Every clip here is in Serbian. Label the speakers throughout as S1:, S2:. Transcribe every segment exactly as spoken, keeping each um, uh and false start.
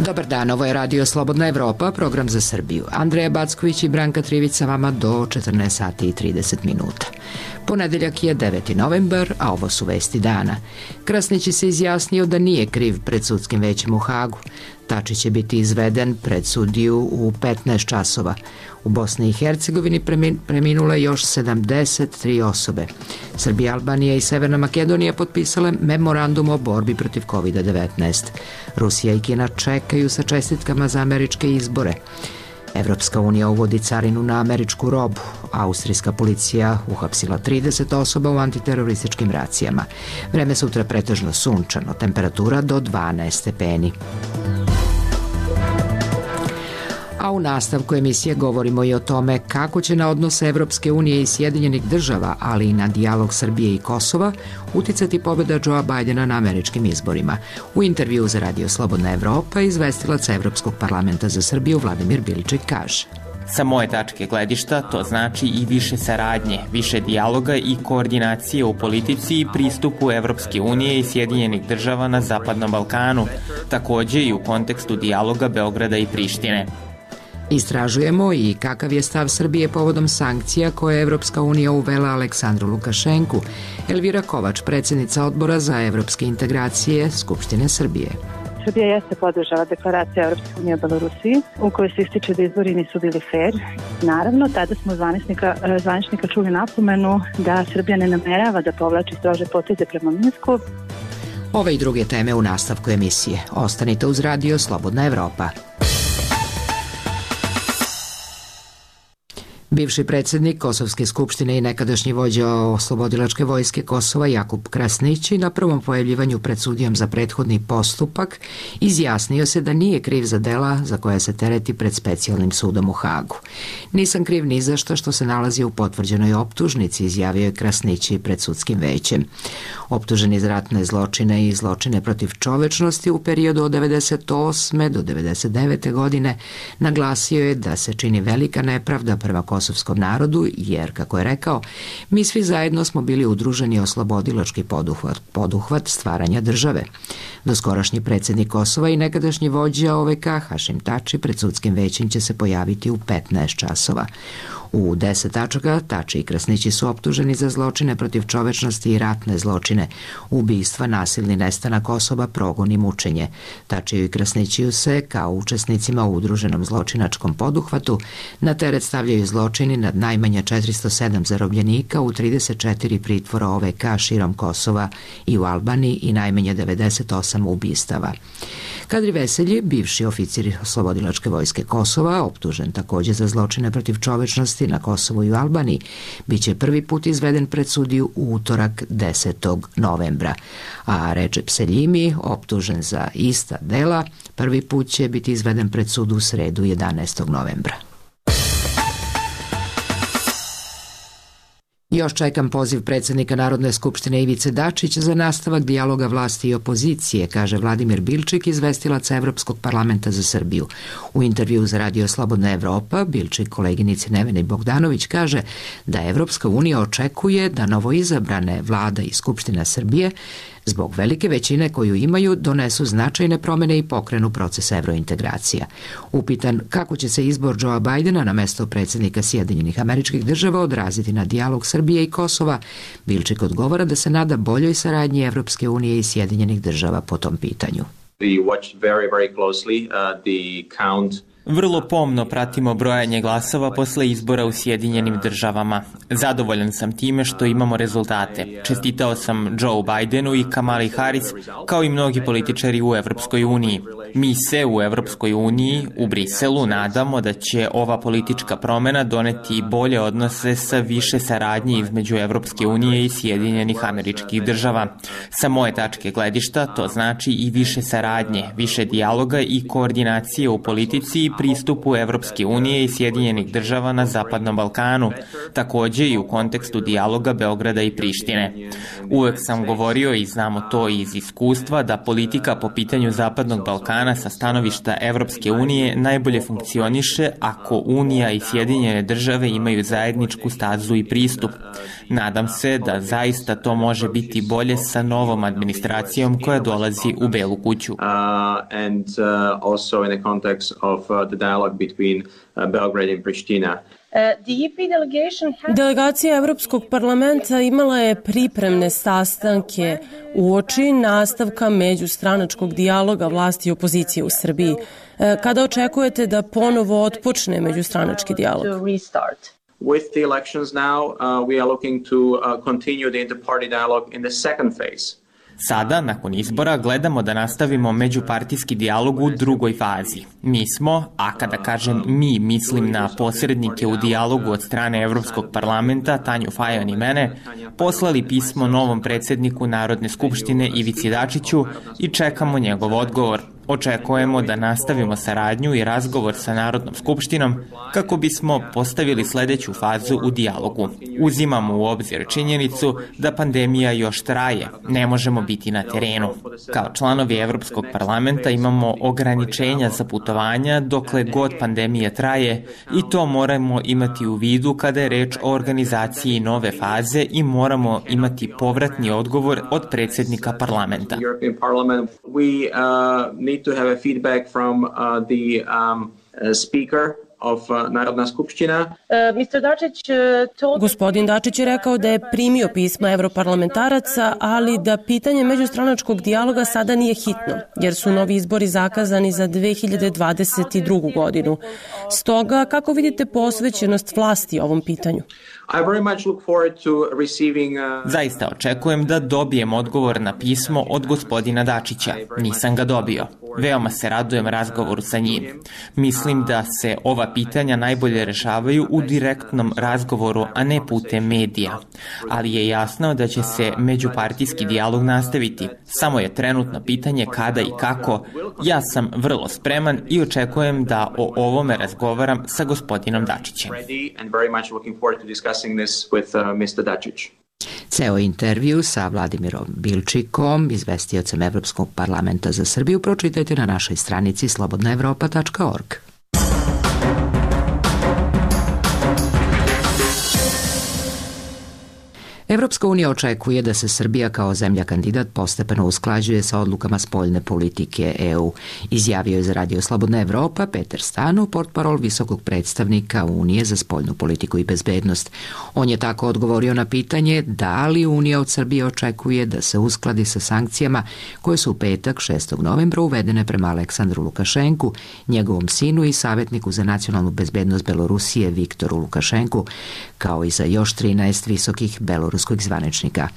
S1: Dobar dan, ovo je Radio Slobodna Evropa, program za Srbiju. Andreja Backović i Branka Trivica vama do četrnaest sati i trideset minuta. Ponedeljak je deveti novembar, a ovo su vesti dana. Krasnić se izjasnio da nije kriv pred sudskim većem u Hagu. Tačić će biti izveden pred sudiju u petnaest časova. U Bosni i Hercegovini preminule još sedamdeset tri osobe. Srbija, Albanija i Severna Makedonija potpisale memorandum o borbi protiv kovid devetnaest. Rusija i Kina čekaju sa čestitkama za američke izbore. Evropska unija uvodi carinu na američku robu. Austrijska policija uhapsila trideset osoba u antiterorističkim racijama. Vreme sutra pretežno sunčano, temperatura do dvanaest stepeni. A u nastavku emisije govorimo i o tome kako će na odnose Evropske unije i Sjedinjenih država, ali i na dijalog Srbije i Kosova, uticati pobjeda Joea Bidena na američkim izborima. U intervju za Radio Slobodna Evropa izvestilac Evropskog parlamenta za Srbiju Vladimir Bilčik kaže:
S2: Sa moje tačke gledišta to znači i više saradnje, više dijaloga i koordinacije u politici i pristupu Evropske unije i Sjedinjenih država na Zapadnom Balkanu, takođe i u kontekstu dijaloga Beograda i Prištine.
S1: Istražujemo i kakav je stav Srbije povodom sankcija koje je Evropska unija uvela Aleksandru Lukašenku. Elvira Kovač, predsjednica odbora za evropske integracije Skupštine Srbije.
S3: Srbija jeste podržala deklaraciju Evropske unije o Belorusiji, u kojoj se ističe da izbori nisu bili fair. Naravno, tada smo zvaničnika, zvaničnika čuli napomenu da Srbija ne namerava da povlači strože poteze prema Minsku.
S1: Ove i druge teme u nastavku emisije. Ostanite uz Radio Slobodna Evropa. Bivši predsjednik Kosovske skupštine i nekadašnji vođa Oslobodilačke vojske Kosova Jakub Krasnić na prvom pojavljivanju pred sudijom za prethodni postupak izjasnio se da nije kriv za dela za koja se tereti pred specijalnim sudom u Hagu. Nisam kriv ni za što što se nalazi u potvrđenoj optužnici, izjavio je Krasnić pred sudskim većem. Optužen za ratne zločine i zločine protiv čovečnosti u periodu od devedeset osme do devedeset devete godine naglasio je da se čini velika nepravda prema kosovskom narodu, jer, kako je rekao, mi svi zajedno smo bili udruženi oslobodilački poduhvat, poduhvat stvaranja države. Doskorašnji predsjednik Kosova i nekadašnji vođa O V K Hašim Tači pred sudskim većem će se pojaviti u petnaest časova. U deset tačaka Tači i Krasnići su optuženi za zločine protiv čovečnosti i ratne zločine, ubistva, nasilni nestanak osoba, progon i mučenje. Tačiju i Krasnićiju se, kao učesnicima u udruženom zločinačkom poduhvatu, na teret stavljaju zločini nad najmanje četiristo sedam zarobljenika u trideset četiri pritvora O V K širom Kosova i u Albaniji i najmanje devedeset osam ubistava. Kadri Veselji, bivši oficir Oslobodilačke vojske Kosova, optužen također za zločine protiv čovečnosti na Kosovu i u Albaniji, bit će prvi put izveden pred sudiju u utorak desetog novembra. A Recep Seljimi, optužen za ista dela, prvi put će biti izveden pred sudu u sredu jedanaestog novembra. Još čekam poziv predsjednika Narodne skupštine Ivice Dačića za nastavak dijaloga vlasti i opozicije, kaže Vladimir Bilčik, izvestilac Evropskog parlamenta za Srbiju. U intervju za Radio Slobodna Evropa, Bilčik koleginici Neveni Bogdanović kaže da Evropska unija očekuje da novoizabrane vlada i Skupština Srbije zbog velike većine koju imaju donesu značajne promjene i pokrenu proces evrointegracija. Upitan kako će se izbor Joea Bidena na mesto predsjednika Sjedinjenih Američkih Država odraziti na dijalog Srbije i Kosova, Bilčik odgovara da se nada boljoj saradnji Evropske unije i Sjedinjenih Država po tom pitanju.
S4: We watched very, very closely uh, the count.
S2: Vrlo pomno pratimo brojanje glasova posle izbora u Sjedinjenim državama. Zadovoljan sam time što imamo rezultate. Čestitao sam Joe Bidenu i Kamali Harris, kao i mnogi političari u Evropskoj uniji. Mi se u Evropskoj uniji, u Briselu, nadamo da će ova politička promena doneti bolje odnose sa više saradnje između Evropske unije i Sjedinjenih Američkih Država. Sa moje tačke gledišta to znači i više saradnje, više dijaloga i koordinacije u politici i pristupu Evropske unije i Sjedinjenih država na Zapadnom Balkanu, takođe i u kontekstu dijaloga Beograda i Prištine. Uvek sam govorio i znamo to iz iskustva da politika po pitanju Zapadnog Balkana strana sa stanovišta Evropske unije najbolje funkcioniše ako Unija i Sjedinjene države imaju zajedničku stazu i pristup. Nadam se da zaista to može biti bolje sa novom administracijom koja dolazi u Belu kuću.
S4: Uh, and uh, also in the context of uh, the dialogue between uh, Belgrade and Pristina.
S5: Delegacija Evropskog parlamenta imala je pripremne sastanke uoči nastavka međustranačkog dijaloga vlasti i opozicije u Srbiji. Kada očekujete da ponovo otpočne međustranački dijalog?
S4: With the elections now, uh, we are looking to uh, continue the inter-party dialogue in the second phase.
S2: Sada, nakon izbora, gledamo da nastavimo međupartijski dijalog u drugoj fazi. Mi smo, a kada kažem mi, mislim na posrednike u dijalogu od strane Evropskog parlamenta, Tanju Fajon i mene, poslali pismo novom predsjedniku Narodne skupštine Ivici Dačiću i čekamo njegov odgovor. Očekujemo da nastavimo saradnju i razgovor sa Narodnom skupštinom kako bismo postavili sledeću fazu u dijalogu. Uzimamo u obzir činjenicu da pandemija još traje, ne možemo biti na terenu. Kao članovi Evropskog parlamenta imamo ograničenja za putovanja dokle god pandemija traje i to moramo imati u vidu kada je reč o organizaciji nove faze i moramo imati povratni odgovor od predsjednika parlamenta.
S4: To have a feedback from uh, the um, uh, speaker of uh, Narodna skupština.
S5: Gospodin Dačić je rekao da je primio pisma evroparlamentaraca, ali da pitanje međustranačkog dijaloga sada nije hitno, jer su novi izbori zakazani za dve hiljade dvadeset drugu. godinu. Stoga, kako vidite posvećenost vlasti ovom pitanju?
S4: I very much look forward to receiving, uh...
S2: Zaista očekujem da dobijem odgovor na pismo od gospodina Dačića. Nisam ga dobio. Veoma se radujem razgovoru sa njim. Mislim da se ova pitanja najbolje rešavaju u direktnom razgovoru, a ne putem medija. Ali je jasno da će se međupartijski dijalog nastaviti. Samo je trenutno pitanje kada i kako. Ja sam vrlo spreman i očekujem da o ovome razgovaram sa gospodinom Dačićem.
S1: Ceo intervju sa Vladimirom Bilčikom, izvestiocem Evropskog parlamenta za Srbiju, pročitajte na našoj stranici slobodna evropa tačka org. Evropska unija očekuje da se Srbija kao zemlja kandidat postepeno usklađuje sa odlukama spoljne politike E U. Izjavio je za Radio Slobodna Evropa Peter Stanu, portparol visokog predstavnika Unije za spoljnu politiku i bezbednost. On je tako odgovorio na pitanje da li Unija od Srbije očekuje da se uskladi sa sankcijama koje su u petak šestog novembra uvedene prema Aleksandru Lukašenku, njegovom sinu i savjetniku za nacionalnu bezbednost Belorusije Viktoru Lukašenku, kao i za još trinaest visokih beloruskih zvaničnika.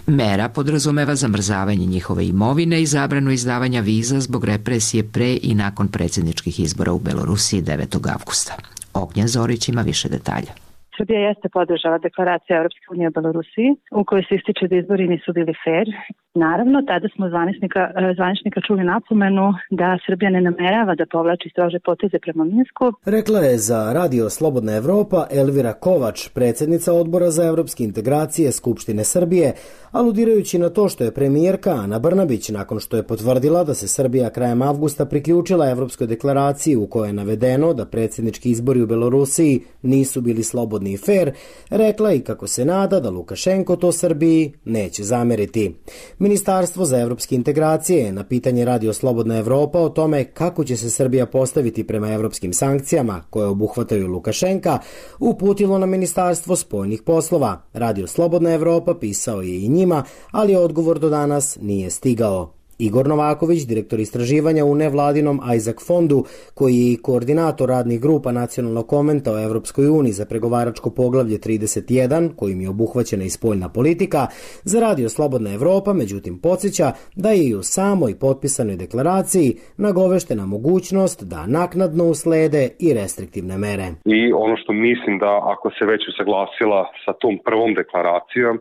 S1: Mera podrazumeva zamrzavanje njihove imovine i zabranu izdavanja viza zbog represije pre i nakon predsjedničkih izbora u Belorusiji devetog avgusta. Ognjen Zorić ima više detalja.
S3: Srbija jeste podržala deklaraciju Evropske unije o Belorusiji, u kojoj se ističe da izbori nisu bili fair. Naravno, tada smo zvaničnika, zvaničnika čuli napomenu da Srbija ne namerava da povlači strože poteze prema Minsku.
S6: Rekla je za Radio Slobodna Evropa Elvira Kovač, predsjednica Odbora za evropske integracije Skupštine Srbije, aludirajući na to što je premijerka Ana Brnabić, nakon što je potvrdila da se Srbija krajem avgusta priključila Evropskoj deklaraciji u kojoj je navedeno da predsjednički izbori u Belorusiji nisu bili slobodni i fair, rekla i kako se nada da Lukašenko to Srbiji neće zameriti. Ministarstvo za evropske integracije na pitanje Radio Slobodna Evropa o tome kako će se Srbija postaviti prema evropskim sankcijama koje obuhvataju Lukašenka uputilo na Ministarstvo spoljnih poslova. Radio Slobodna Evropa pisao je i njima, ali odgovor do danas nije stigao. Igor Novaković, direktor istraživanja u nevladinom Isaac fondu, koji je i koordinator radnih grupa nacionalnog konventa o Evropskoj uniji za pregovaračko poglavlje trideset jedan, kojim je obuhvaćena i spoljna politika, za Radio Slobodna Evropa, međutim podsjeća da je i u samoj potpisanoj deklaraciji nagoveštena mogućnost da naknadno uslede i restriktivne mere.
S7: I ono što mislim da ako se već usaglasila sa tom prvom deklaracijom,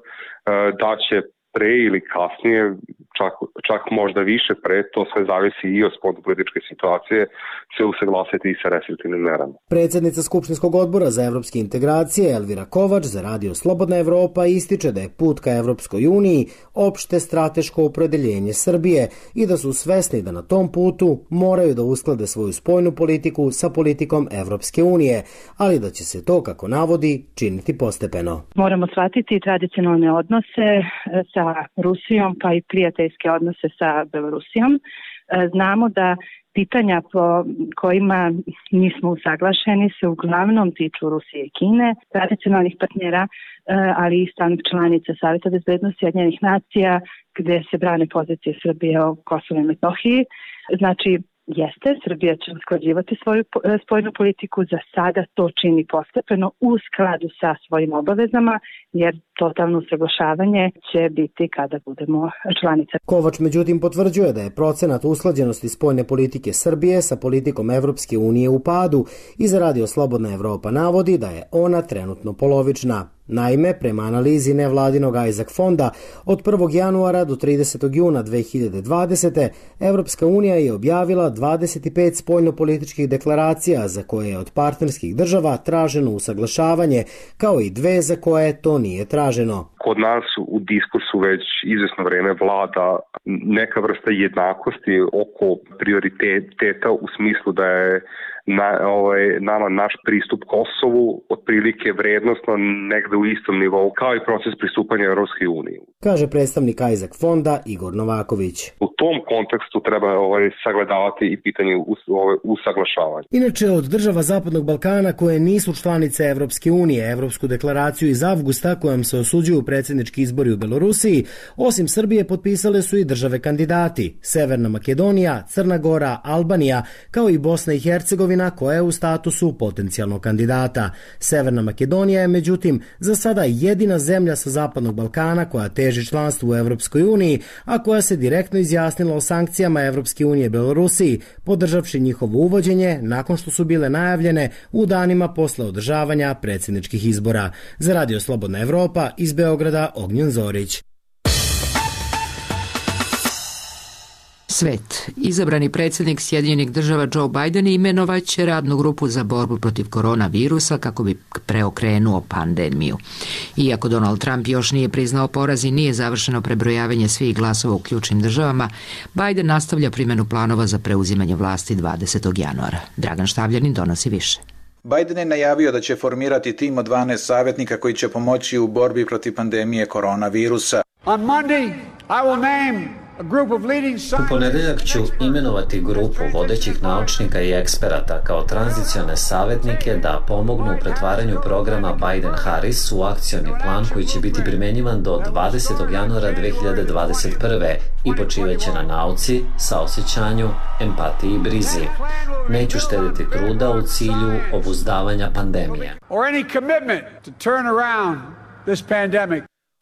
S7: da će pre ili kasnije, čak, čak možda više pre, to sve zavisi i od spoljnopolitičke situacije, se usaglasiti i sa restriktivnim merama.
S6: Predsjednica Skupštinskog odbora za evropske integracije Elvira Kovač za Radio Slobodna Evropa ističe da je put ka Evropskoj uniji opšte strateško opredeljenje Srbije i da su svesni da na tom putu moraju da usklade svoju spoljnu politiku sa politikom Evropske unije, ali da će se to, kako navodi, činiti postepeno.
S3: Moramo shvatiti tradicionalne odnose sa Rusijom, pa i prijateljske odnose sa Belorusijom. Znamo da pitanja po kojima nismo usaglašeni se uglavnom tiču Rusije i Kine, tradicionalnih partnera, ali i stalnih članica Saveta bezbednosti Ujedinjenih nacija, gde se brane pozicije Srbije o Kosovu i Metohiji. Znači, jeste, Srbija će usklađivati svoju spoljnu politiku, za sada to čini postepeno u skladu sa svojim obavezama, jer totalno usaglašavanje će biti kada budemo članica.
S6: Kovač međutim potvrđuje da je procenat usklađenosti spoljne politike Srbije sa politikom Evropske unije u padu i za Radio Slobodna Evropa navodi da je ona trenutno polovična. Naime, prema analizi nevladinog Isaac fonda, od prvog januara do tridesetog juna dve hiljade dvadesete. Evropska unija je objavila dvadeset pet spoljnopolitičkih deklaracija za koje je od partnerskih država traženo usaglašavanje, kao i dve za koje to nije traženo.
S7: Kod nas u diskursu već izvesno vreme vlada neka vrsta jednakosti oko prioriteta u smislu da je Na, ovaj, nama naš pristup Kosovu otprilike vrednostno negde u istom nivou kao i proces pristupanja Evropskoj uniji.
S6: Kaže predstavnik Isaac fonda Igor Novaković.
S7: U tom kontekstu treba ovaj, sagledavati i pitanje us, ovaj, usaglašavanja.
S6: Inače, od država Zapadnog Balkana koje nisu članice Evropske unije, Evropsku deklaraciju iz avgusta kojom se osuđuju predsjednički izbori u Belorusiji, osim Srbije potpisale su i države kandidati: Severna Makedonija, Crna Gora, Albanija, kao i Bosna i Hercegovina, koja je u statusu potencijalnog kandidata. Severna Makedonija je međutim za sada jedina zemlja sa Zapadnog Balkana koja teži članstvu u Evropskoj uniji, a koja se direktno izjasnila o sankcijama Evropske unije Belorusiji, podržavši njihovo uvođenje nakon što su bile najavljene u danima posle održavanja predsjedničkih izbora. Za Radio Slobodna Evropa iz Beograda Ognjen Zorić.
S1: Svet. Izabrani predsjednik Sjedinjenih država Joe Biden imenovaće radnu grupu za borbu protiv koronavirusa kako bi preokrenuo pandemiju. Iako Donald Trump još nije priznao poraz i nije završeno prebrojavanje svih glasova u ključnim državama, Biden nastavlja primjenu planova za preuzimanje vlasti dvadesetog januara. Dragan Štavljanin donosi više.
S8: Biden je najavio da će formirati tim od dvanaest savjetnika koji će pomoći u borbi protiv pandemije koronavirusa.
S9: On Monday, I will name
S10: U ponedeljak ću imenovati grupu vodećih naučnika i eksperata kao tranzicione savjetnike da pomognu u pretvaranju programa Biden-Harris u akcioni plan koji će biti primjenjivan do dvadesetog januara dve hiljade dvadeset prve i počivaće na nauci, saosećanju, empatiji i brizi. Neću štediti truda u cilju obuzdavanja pandemije.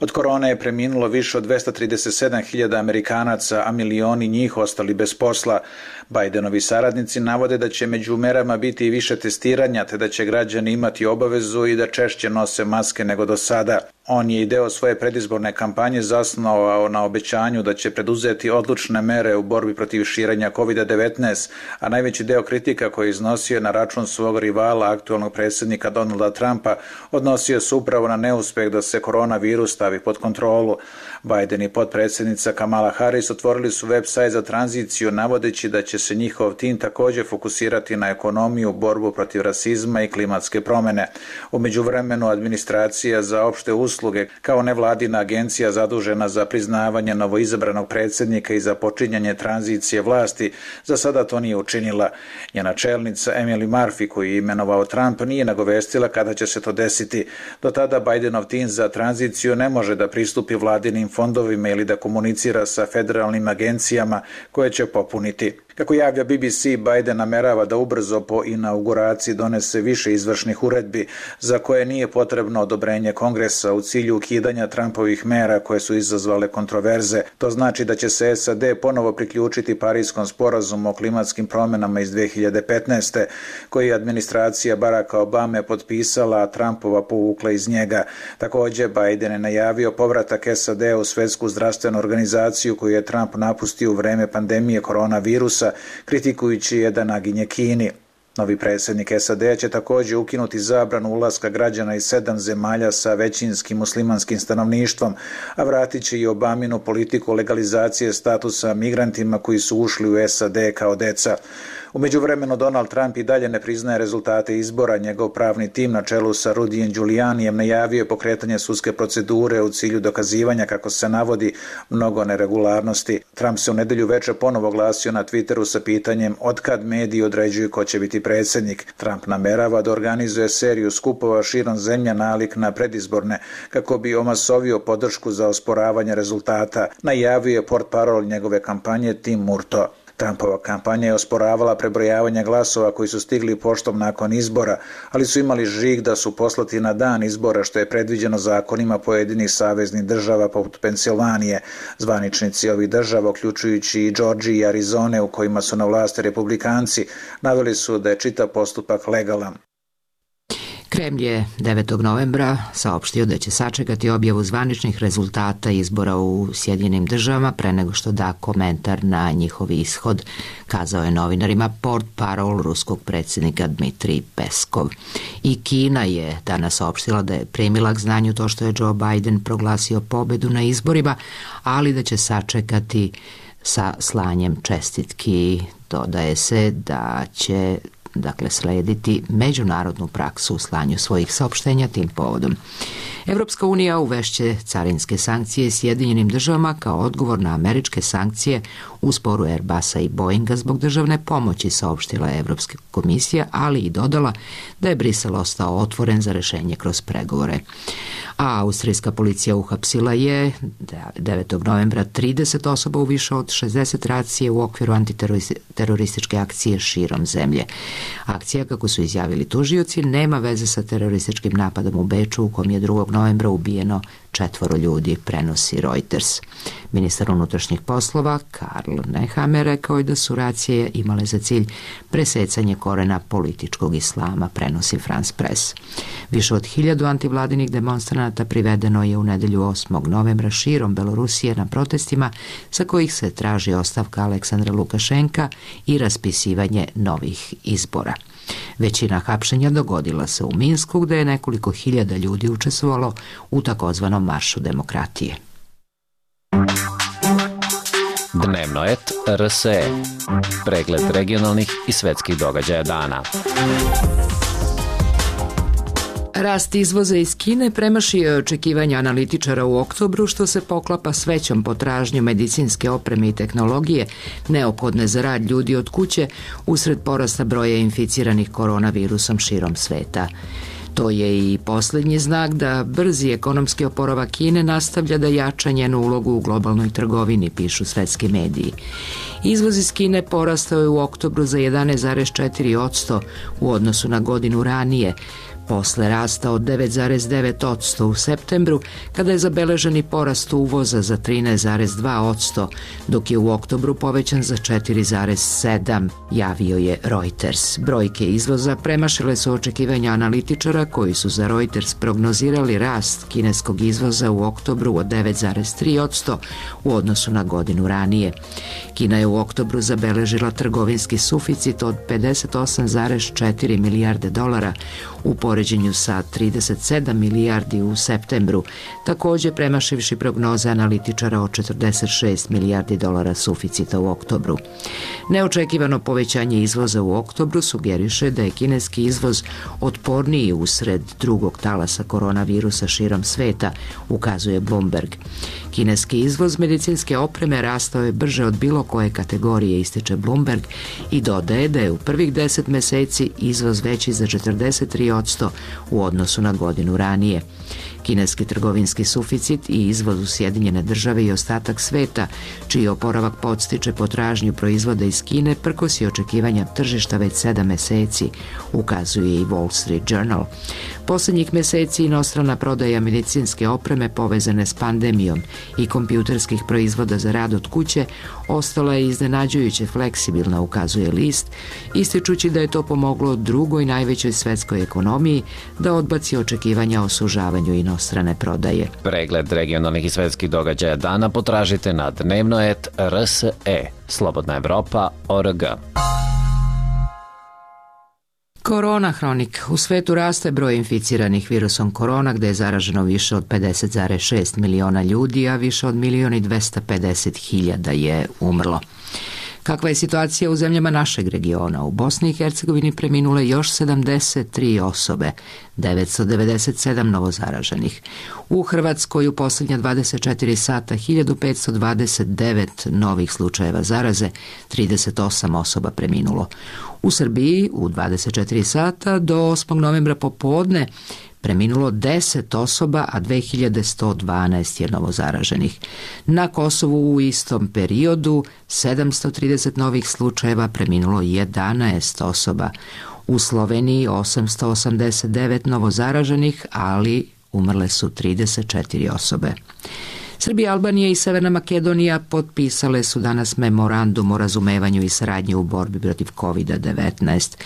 S8: Od korone je preminulo više od dvesta trideset sedam hiljada Amerikanaca, a milioni njih ostali bez posla. Bidenovi saradnici navode da će među merama biti i više testiranja, te da će građani imati obavezu i da češće nose maske nego do sada. On je i deo svoje predizborne kampanje zasnovao na obećanju da će preduzeti odlučne mere u borbi protiv širenja kovid devetnaest, a najveći deo kritika koji je iznosio na račun svog rivala, aktualnog predsjednika Donalda Trumpa, odnosio se upravo na neuspeh da se koronavirus stavi pod kontrolu. Biden i potpredsjednica Kamala Harris otvorili su web-sajt za tranziciju, navodeći da će se njihov tim također fokusirati na ekonomiju, borbu protiv rasizma i klimatske promjene. U međuvremenu administracija za opšte usluge kao nevladina agencija zadužena za priznavanje novoizabranog predsjednika i za počinjanje tranzicije vlasti za sada to nije učinila. Njena čelnica Emily Murphy, koju je imenovao Trump, nije nagovestila kada će se to desiti. Do tada Bidenov tim za tranziciju ne može da pristupi vladinim fondovima ili da komunicira sa federalnim agencijama koje će popuniti. Kako javlja B B C, Biden namerava da ubrzo po inauguraciji donese više izvršnih uredbi za koje nije potrebno odobrenje Kongresa u cilju ukidanja Trumpovih mera koje su izazvale kontroverze. To znači da će se S A D ponovo priključiti Parijskom sporazumu o klimatskim promjenama iz dve hiljade petnaeste. koji je administracija Baracka Obame potpisala, a Trumpova povukla iz njega. Također, Biden je najavio povratak S A D u Svjetsku zdravstvenu organizaciju koju je Trump napustio u vreme pandemije koronavirusa, kritikujući je da naginje Kini. Novi predsjednik S A D će također ukinuti zabranu ulaska građana iz sedam zemalja sa većinskim muslimanskim stanovništvom, a vratit će i Obaminu politiku legalizacije statusa migrantima koji su ušli u S A D kao deca. U međuvremenu Donald Trump i dalje ne priznaje rezultate izbora. Njegov pravni tim na čelu sa Rudijem Giulianijem najavio je pokretanje sudske procedure u cilju dokazivanja, kako se navodi, mnogo neregularnosti. Trump se u nedjelju večer ponovo oglasio na Twitteru sa pitanjem otkad mediji određuju ko će biti predsjednik. Trump namerava da organizuje seriju skupova širom zemlje nalik na predizborne, kako bi omasovio podršku za osporavanje rezultata, najavio je portparol njegove kampanje Tim Murto. Trumpova kampanja je osporavala prebrojavanje glasova koji su stigli poštom nakon izbora, ali su imali žig da su poslati na dan izbora, što je predviđeno zakonima pojedinih saveznih država poput Pensilvanije. Zvaničnici ovih država, uključujući i Georgije i Arizone u kojima su na vlasti republikanci, naveli su da je čitav postupak legalan.
S1: Kremlj je devetog novembra saopštio da će sačekati objavu zvaničnih rezultata izbora u Sjedinjenim državama pre nego što da komentar na njihov ishod, kazao je novinarima portparol ruskog predsjednika Dmitrij Peskov. I Kina je danas saopštila da je primila k znanju to što je Joe Biden proglasio pobedu na izborima, ali da će sačekati sa slanjem čestitki. Dodaje se da će dakle slediti međunarodnu praksu u slanju svojih saopštenja tim povodom. Evropska unija uvešće carinske sankcije Sjedinjenim državama kao odgovor na američke sankcije u sporu Airbusa i Boeinga zbog državne pomoći, saopštila je Evropska komisija, ali i dodala da je Brisel ostao otvoren za rešenje kroz pregovore. A austrijska policija uhapsila je devetog novembra trideset osoba u više od šezdeset racije u okviru antiterorističke akcije širom zemlje. Akcija, kako su izjavili tužioci, nema veze sa terorističkim napadom u Beču u kom je drugog novembra ubijeno četvoro ljudi, prenosi Reuters. Ministar unutrašnjih poslova Karl Nehammer rekao je da su racije imale za cilj presecanje korena političkog islama, prenosi France Press. Više od hiljadu antivladinih demonstranata privedeno je u nedelju osmog novembra širom Belorusije na protestima sa kojih se traži ostavka Aleksandra Lukašenka i raspisivanje novih izbora. Većina hapšenja dogodila se u Minsku, gde je nekoliko hiljada ljudi učestvovalo u takozvanom maršu demokratije.
S11: Dnevnoet R S E. Pregled regionalnih i svetskih događaja dana.
S1: Rast izvoza iz Kine premašio je očekivanja analitičara u oktobru, što se poklapa s većom potražnjom medicinske opreme i tehnologije neophodne za rad ljudi od kuće usred porasta broja inficiranih koronavirusom širom sveta. To je i posljednji znak da brzi ekonomski oporavak Kine nastavlja da jača njenu ulogu u globalnoj trgovini, pišu svetski mediji. Izvoz iz Kine porastao je u oktobru za jedanaest zarez četiri posto u odnosu na godinu ranije, posle rasta od devet zarez devet posto u septembru, kada je zabeleženi porast uvoza za trinaest zarez dva posto, dok je u oktobru povećan za četiri zarez sedam, javio je Reuters. Brojke izvoza premašile su očekivanja analitičara koji su za Reuters prognozirali rast kineskog izvoza u oktobru od devet zarez tri posto u odnosu na godinu ranije. Kina je u oktobru zabeležila trgovinski suficit od pedeset osam zarez četiri milijarde dolara u poređenju sa trideset sedam milijardi u septembru, također premašivši prognoze analitičara od četrdeset šest milijardi dolara suficita u oktobru. Neočekivano povećanje izvoza u oktobru sugeriše da je kineski izvoz otporniji usred drugog talasa koronavirusa širom sveta, ukazuje Bloomberg. Kineski izvoz medicinske opreme rastao je brže od bilo koje kategorije, ističe Bloomberg, i dodaje da je u prvih deset meseci izvoz veći za četrdeset tri posto u odnosu na godinu ranije. Kineski trgovinski suficit i izvoz u Sjedinjene države i ostatak sveta, čiji oporavak podstiče potražnju proizvoda iz Kine, prkosi očekivanja tržišta već sedam meseci, ukazuje i Wall Street Journal. Poslednjih meseci inostrana prodaja medicinske opreme povezane s pandemijom i kompjuterskih proizvoda za rad od kuće ostala je iznenađujuće fleksibilna, ukazuje list, ističući da je to pomoglo drugoj najvećoj svetskoj ekonomiji da odbaci očekivanja o sužavanju inostrane prodaje.
S11: Pregled regionalnih i svetskih događaja dana potražite na dnevnoet R S E, Slobodna Evropa, O R G.
S1: Korona hronik. U svetu raste broj inficiranih virusom korona, gde je zaraženo više od pedeset zarez šest miliona ljudi, a više od milion i dvesta pedeset hiljada je umrlo. Kakva je situacija u zemljama našeg regiona? U Bosni i Hercegovini preminule još sedamdeset tri osobe, devetsto devedeset sedam novozaraženih. U Hrvatskoj u posljednja dvadeset četiri sata hiljadu petsto dvadeset devet novih slučajeva zaraze, trideset osam osoba preminulo. U Srbiji u dvadeset četiri sata do osmog novembra popodne preminulo deset osoba, a dve hiljade sto dvanaest je novozaraženih. Na Kosovu u istom periodu sedamsto trideset novih slučajeva, preminulo jedanaest osoba. U Sloveniji osamsto osamdeset devet novozaraženih, ali umrle su trideset četiri osobe. Srbija, Albanija i Severna Makedonija potpisale su danas memorandum o razumevanju i saradnji u borbi protiv kovid devetnaest.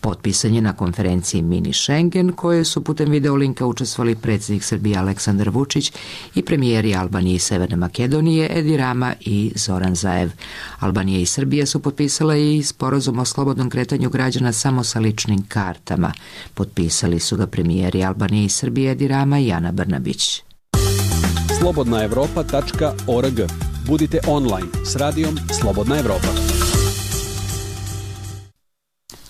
S1: Potpisan je na konferenciji Mini Schengen, koje su putem videolinka učestvovali predsjednik Srbije Aleksandar Vučić i premijeri Albanije i Severne Makedonije Edi Rama i Zoran Zaev. Albanija i Srbija su potpisale i sporazum o slobodnom kretanju građana samo sa ličnim kartama. Potpisali su ga premijeri Albanije i Srbije Edi Rama i Ana Brnabić.
S12: slobodna evropa tačka org. Budite online s radijom Slobodna Evropa.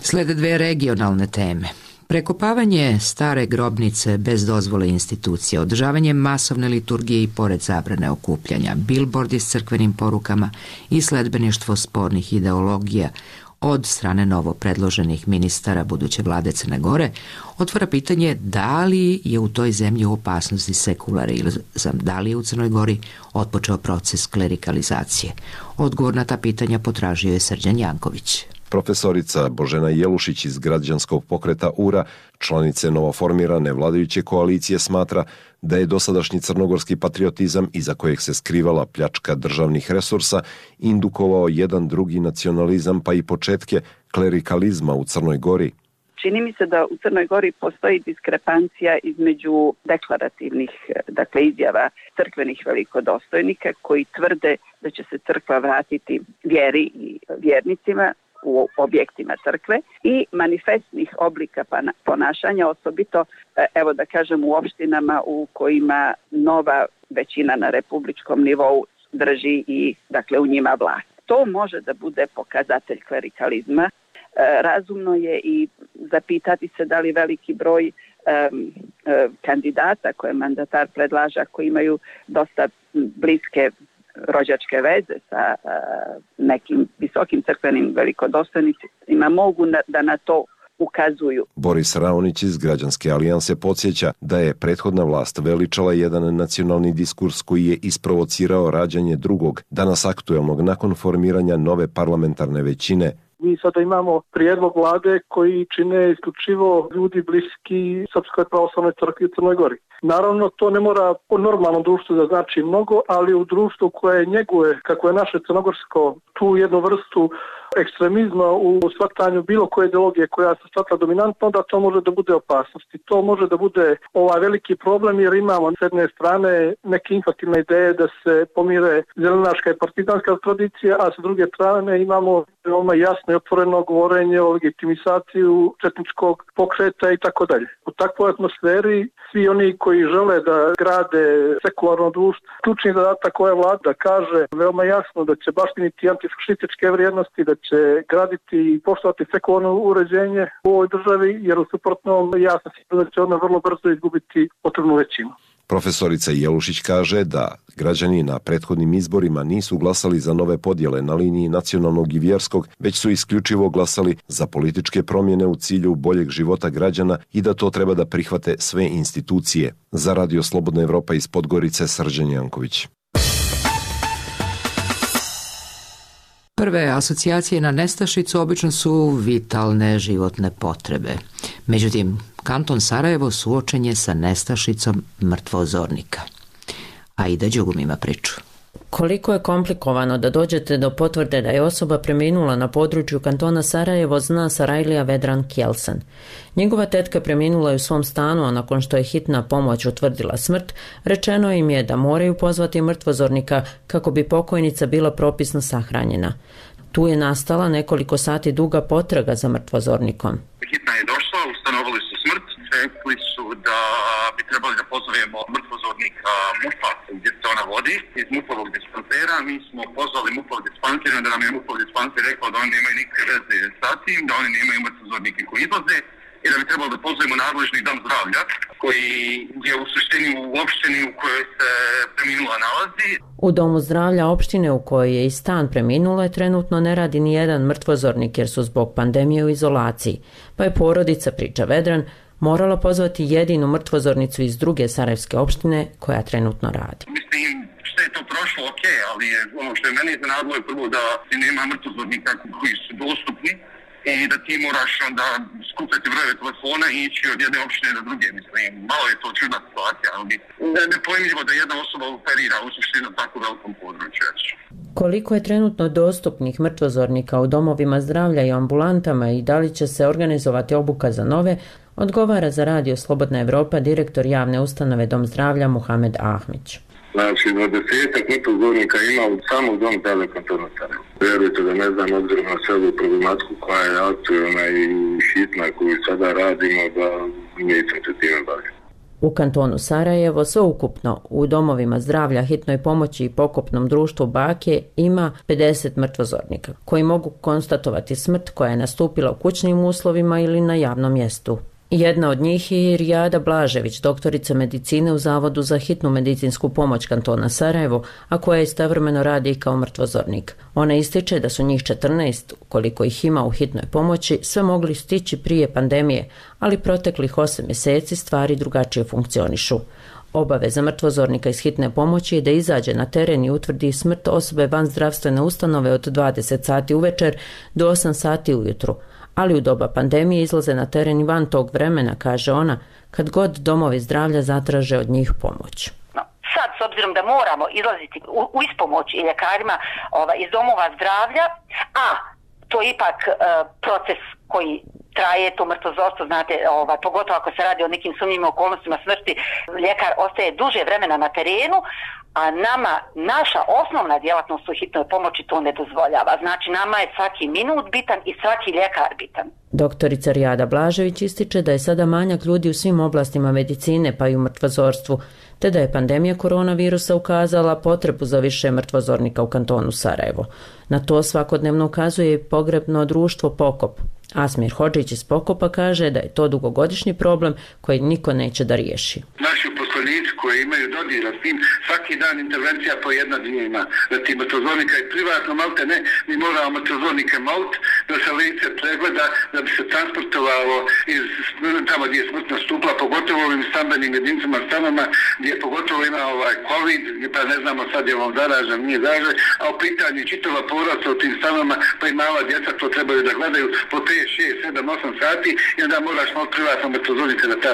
S1: Slede dve regionalne teme. Prekopavanje stare grobnice bez dozvole institucije, održavanje masovne liturgije i pored zabrane okupljanja, bilbordi s crkvenim porukama i sledbeništvo spornih ideologija od strane novo predloženih ministara buduće vlade Crne Gore otvara pitanje da li je u toj zemlji u opasnosti sekularizam, da li je u Crnoj Gori otpočeo proces klerikalizacije. Odgovor na ta pitanja potražio je Srđan Janković.
S13: Profesorica Božena Jelušić iz građanskog pokreta U R A, članice novoformirane vladajuće koalicije, smatra da je dosadašnji crnogorski patriotizam, iza kojeg se skrivala pljačka državnih resursa, indukovao jedan drugi nacionalizam pa i početke klerikalizma u Crnoj Gori.
S14: Čini mi se da u Crnoj Gori postoji diskrepancija između deklarativnih, dakle, izjava crkvenih velikodostojnika koji tvrde da će se crkva vratiti vjeri i vjernicima u objektima crkve i manifestnih oblika ponašanja, osobito, evo da kažem, u opštinama u kojima nova većina na republičkom nivou drži i, dakle, u njima vlast. To može da bude pokazatelj klerikalizma. Razumno je i zapitati se da li veliki broj um, uh, kandidata koje mandatar predlaža, koji imaju dosta bliske rođačke veze sa uh, nekim visokim crkvenim velikodostojnicima, mogu na, da na to ukazuju.
S13: Boris Raonić iz Građanske alijanse podsjeća da je prethodna vlast veličala jedan nacionalni diskurs koji je isprovocirao rađanje drugog, danas aktuelnog nakon formiranja nove parlamentarne većine.
S15: Mi sada imamo prijedlog vlade koji čine isključivo ljudi bliski Srpskoj pravoslavnoj crkvi u Crnoj Gori. Naravno, to ne mora u normalnom društvu da znači mnogo, ali u društvu koje njeguje, kako je naše crnogorsko, tu jednu vrstu ekstremizma u shvatanju bilo koje ideologije koja se shvata dominantno, da to može da bude opasnost. I to može da bude ovaj veliki problem, jer imamo s jedne strane neke infantilne ideje da se pomire zelenaška i partizanska tradicija, a s druge strane imamo veoma jasno i otvoreno govorenje o legitimizaciju četničkog pokreta i tako dalje. U takvoj atmosferi svi oni koji žele da grade sekularno društvo, ključni zadatak ove vlade kaže veoma jasno da će baštiniti antifašističke vrijednosti, da će graditi i poštovati sekularno uređenje u ovoj državi, jer u suprotnom ja sam siguran da će ona vrlo brzo izgubiti potrebnu većinu.
S13: Profesorica Jelušić kaže da građani na prethodnim izborima nisu glasali za nove podjele na liniji nacionalnog i vjerskog, već su isključivo glasali za političke promjene u cilju boljeg života građana i da to treba da prihvate sve institucije institucije. Za Radio Slobodna Evropa iz Podgorice, Srđan Janković.
S1: Prve asocijacije na nestašicu obično su vitalne životne potrebe. Međutim, kanton Sarajevo suočen je sa nestašicom mrtvozornika. Aida Đugum ima priču.
S16: Koliko je komplikovano da dođete do potvrde da je osoba preminula na području kantona Sarajevo, zna Sarajlija Vedran Kjelsen. Njegova tetka preminula je u svom stanu, a nakon što je hitna pomoć utvrdila smrt, rečeno im je da moraju pozvati mrtvozornika kako bi pokojnica bila propisno sahranjena. Tu je nastala nekoliko sati duga potraga za mrtvozornikom.
S17: Hitna je došla, ustanovili su smrt, rekli su da bi trebali da pozovemo mrtvozornika MUP-a gdje se ona vodi, iz MUP-ovog dispansera. Mi smo pozvali MUP-ov dispanser, da nam je MUP-ov dispanser rekao da oni nemaju nikakve veze sa tim, da oni nemaju mrtvozornike koji izlaze i da bi trebalo da pozovemo nadležni dom zdravlja koji je u suštini u opštini u kojoj se preminula nalazi.
S16: U domu zdravlja opštine u kojoj je i stan preminula trenutno ne radi ni jedan mrtvozornik jer su zbog pandemije u izolaciji, pa je porodica, priča Vedran, morala pozvati jedinu mrtvozornicu iz druge sarajevske opštine koja trenutno radi.
S17: Mislim, što je to prošlo, ok, ali je, ono što je meni iznenadilo je prvo da ti nema mrtvozornika koji su dostupni i da ti moraš onda skupiti brojeve telefona i ići od jedne opštine do druge. Mislim, malo je to čudna situacija, ali ne, nepojmljivo da jedna osoba operira u suštini na tako velikom području.
S16: Koliko je trenutno dostupnih mrtvozornika u domovima zdravlja i ambulantama i da li će se organizovati obuka za nove, odgovara za Radio Slobodna Evropa direktor javne ustanove Dom zdravlja Muhamed Ahmić.
S17: Znači, dvadesetak mrtvozornika ima u samog Dom zdravlja kantona Sarajevo. Vjerujte da ne znam, obzirom na sve problematiku koja je aktualna i hitna koju sada radimo, da nisam se time bavio.
S16: U kantonu Sarajevo sveukupno u domovima zdravlja, hitnoj pomoći i pokopnom društvu Bake ima pedeset mrtvozornika koji mogu konstatovati smrt koja je nastupila u kućnim uslovima ili na javnom mjestu. Jedna od njih je Rijada Blažević, doktorica medicine u Zavodu za hitnu medicinsku pomoć kantona Sarajevo, a koja istovremeno radi i kao mrtvozornik. Ona ističe da su njih četrnaest, koliko ih ima u hitnoj pomoći, sve mogli stići prije pandemije, ali proteklih osam mjeseci stvari drugačije funkcionišu. Obaveza mrtvozornika iz hitne pomoći je da izađe na teren i utvrdi smrt osobe van zdravstvene ustanove od dvadeset sati uvečer do osam sati ujutru. Ali u doba pandemije izlaze na teren i van tog vremena, kaže ona, kad god domovi zdravlja zatraže od njih pomoć.
S18: No, sad, s obzirom da moramo izlaziti u, u ispomoć i ljekarima ova, iz domova zdravlja, a to je ipak uh, proces koji traje, to mrtvozorstvo, znate, ova, pogotovo ako se radi o nekim sumnjivim okolnostima smrti, ljekar ostaje duže vremena na terenu, a nama, naša osnovna djelatnost u hitnoj pomoći to ne dozvoljava. Znači, nama je svaki minut bitan i svaki ljekar bitan.
S16: Doktorica Rijada Blažević ističe da je sada manjak ljudi u svim oblastima medicine, pa i u mrtvozorstvu, te da je pandemija koronavirusa ukazala potrebu za više mrtvozornika u kantonu Sarajevo. Na to svakodnevno ukazuje i pogrebno društvo Pokop. Asmir Hodžić iz Pokopa kaže da je to dugogodišnji problem koji niko neće da riješi.
S17: Naši uposlenici koji imaju dodira s tim, svaki dan intervencija po jedna dnevna, da ti mrtvozornika i privatno malte ne, mi moramo mrtvozornike malt, da se lice pregleda, da bi se transportovalo iz tamo gdje je smrt nastupila, pogotovo ovim stambenim jedinicama, stanama gdje pogotovo ima ovaj COVID, pa ne znamo sad je on zaražen, nije zaražen, a u pitanju čitava poraca u tim stanama, pa i mala djeca to trebaju da gledaju po pet, šest, sedam, osam sati i onda moraš malo privatno mrtvozornika da ta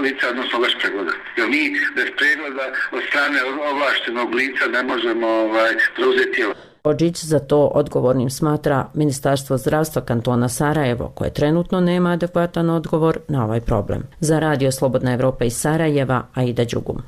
S17: lica odnosno vaš pregleda. Jer mi bez pregleda od strane ovlaštenog lica ne možemo ovaj, preuzeti tijelo.
S16: Hodžić za to odgovornim smatra Ministarstvo zdravstva kantona Sarajevo, koje trenutno nema adekvatan odgovor na ovaj problem. Za Radio Slobodna Evropa iz Sarajeva, Aida Đugum.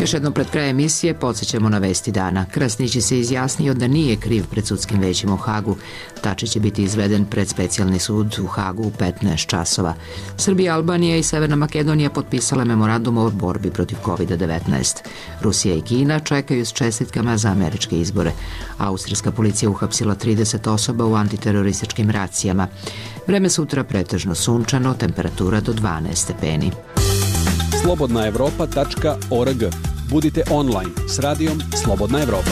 S1: Još jednom pred kraj emisije podsjećamo na vesti dana. Krasnić se izjasnio da nije kriv pred sudskim većim u Hagu. Tačić će biti izveden pred specijalni sud u Hagu u petnaest časova. Srbija, Albanija i Severna Makedonija potpisale memorandum o borbi protiv kovid devetnaest. Rusija i Kina čekaju s čestitkama za američke izbore. Austrijska policija uhapsila trideset osoba u antiterorističkim racijama. Vreme sutra pretežno sunčano, temperatura do dvanaest stepeni.
S12: slobodna evropa tačka org. Budite online s radijom Slobodna Evropa.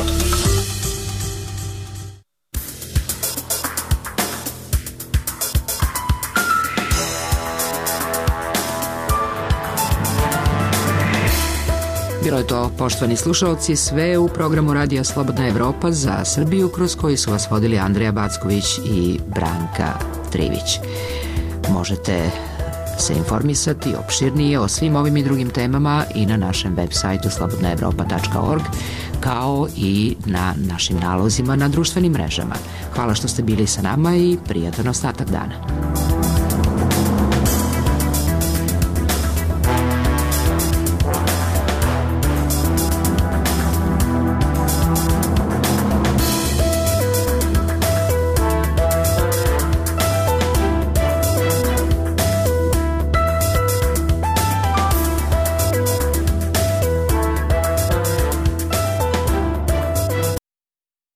S1: To je to, poštovani slušalci, sve u programu Radija Slobodna Evropa za Srbiju, kroz koji su vas vodili Andreja Backović i Branka Trivić. Možete se informisati opširnije o svim ovim i drugim temama i na našem web sajtu slobodna evropa tačka org, kao i na našim nalozima na društvenim mrežama. Hvala što ste bili sa nama i prijatan ostatak dana.